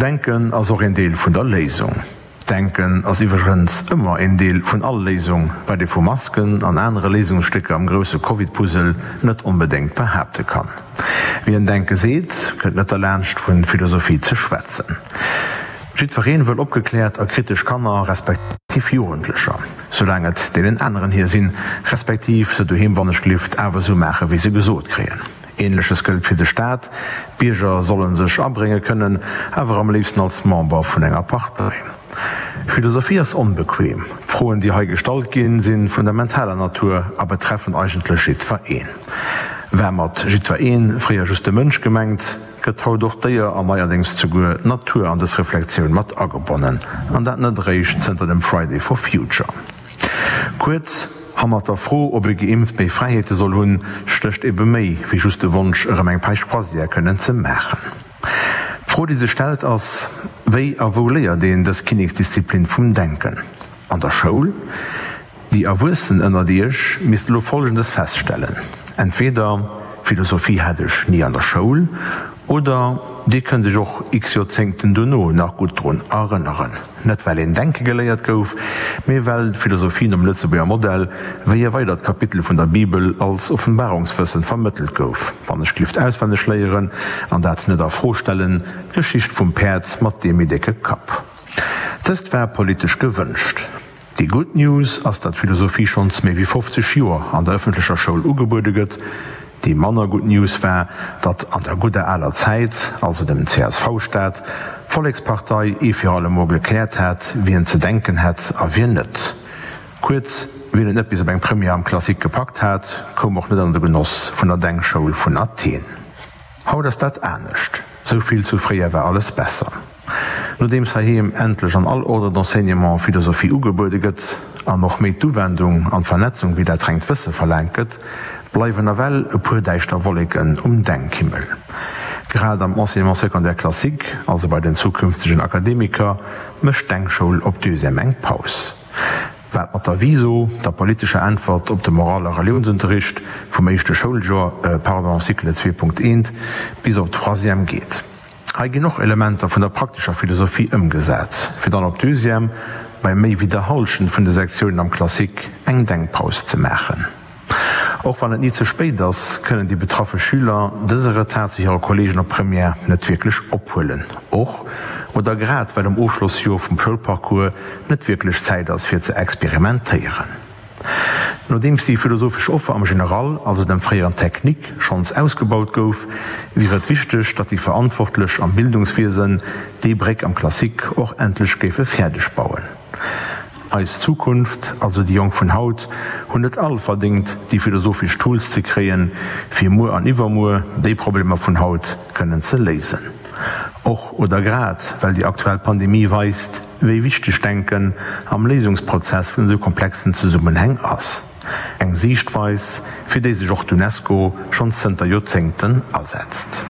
Denken ass och een Deel vun der Léisung. Denken ass iwwregens ëmmer een Deel vun all Léisung, wat ee vu Masken an anere Léisungsstécker am grousse Covid-Puzzle net onbedéngt behaapte kann. Wien Denke seet, kënnt net derlaanscht vu Philosophie ze schwätzen. Jiddwereen wëll opgekläert a kritesch Kanner respektiv Jugendlecher, soulaang et deenen aneren hir sinn, respektiv se doheem wannechglift awer esou maache wéi se gesot kréien. Ähnleches gëllt fir de Staat, d'Bierger solle sech abrénge kënnen, awer am léifsten als Member vun enger Partei. Philosophie ass onbequem, d'Froen déi hei gestallt ginn, si fundamentaler Natur a betreffen eigentlech jiddwer een. War mat jiddwer een fréier just de Mënsch gemengt, gëtt haut och d'Déier an neierdéngs zuguer d'Natur an dës Reflektioun mat agebonnen, an dat net eréischt zënter dem Friday for Future. Kuerz, hannert der Fro, ob ee geimpft méi Fräiheete soll hunn, stécht ebe méi wéi just de Wonsch, erëm eng Page Croisière kënnen ze maachen. D'Fro, déi sech stellt, ass, Wéi a wou léiert een dës Kinneksdisziplin vum Denken? An der Schoul? Déi Erwuessen ënnert Iech misst elo Folgendes feststellen, Entweder Philosophie hat ech ni an der Schoul, oder Dir kënnt Iech och x Joerzéngten duerno nach gutt drun erënneren. Net well een denke geléiert gouf, mee well d'Philosophie nom Lëtzebuerger Modell wéi e weidert Kapitel vun der Bibel als Offenbarungswëssen vermëttelt gouf, wann ech glift auswenneg léieren an dat net a Fro stellen, d'Geschicht vum Päerd mat deem méi décke Kapp. Dëst war politesch gewënscht. Déi gutt News ass, datt Philosophie schonns méi wéi 50 Joer an der ëffentlecher Schoul ugebuede gëtt. Déi manner gutt News war, datt an der gudder aler Zäit, also dem CSV-Staat, d'Vollekspartei ee fir allemol gekläert hat, wien ze denken hätt a wien net. Kuerz, wien et net bis op eng Première am Classique gepackt hat, koum och net an de Genoss vun der Denkschoul vun Athen. Haut ass dat anescht. Sou vill zu fréier war alles besser. Nodeems heiheem endlech an all Ordre d'enseignement Philosophie ugebuede gëtt, an och méi d'Uwendung an d'Vernetzung wéi dat rengt Wësse verlaangt gëtt, bleiwen nawell e puer däischter Wolleken um Denkhimmel. Grad am Enseignement secondaire classique, also bei den zukünftegen Akademiker, mécht d'Denkschoul op Deuxième eng Paus. Wat mat der Viso, der politescher Äntwert op de Moral a Reliounsunterricht vum éischte Schouljoer, pardon, Cycle 2.1, bis op d'Troisième geet. Hei ginn och Elementer vun der praktescher Philosophie ëmgesat, fir dann op Deuxième bei méi wéi der Hallschent vun de Sektiounen am Classique eng Denkpaus ze maachen. Och wann et ni ze spéit ass, kënnen déi betraffe Schüler dëse Retard zu hire Kolleegen op Première net wierklech ophuelen, och oder grad well um Ofschlossjoer vum Schoulparcours net wierklech Zäit ass fir ze experimentéieren. Nodeems déi philosophesch Offer am General, also dem fréieren Technique, schonns ausgebaut gouf, wier et wichteg, datt déi Verantwortlech am Bildungswiesen déi Bréck am Classique och endlech géife fäerdeg bauen. Eis Zukunft, also déi Jonk vun haut, hunn et all verdéngt, déi philosophesch Tools ze kréien, fir muer an iwwermuer déi Problemer vun haut kënnen ze léisen. Och oder grad well déi aktuell Pandemie weist, wéi wichteg Denken am Léisungsprozess vun esou komplexen Zesummenhäng ass. Eng Siichtweis, fir déi sech och d'UNESCO schonns zënter Joerzéngten asetzt.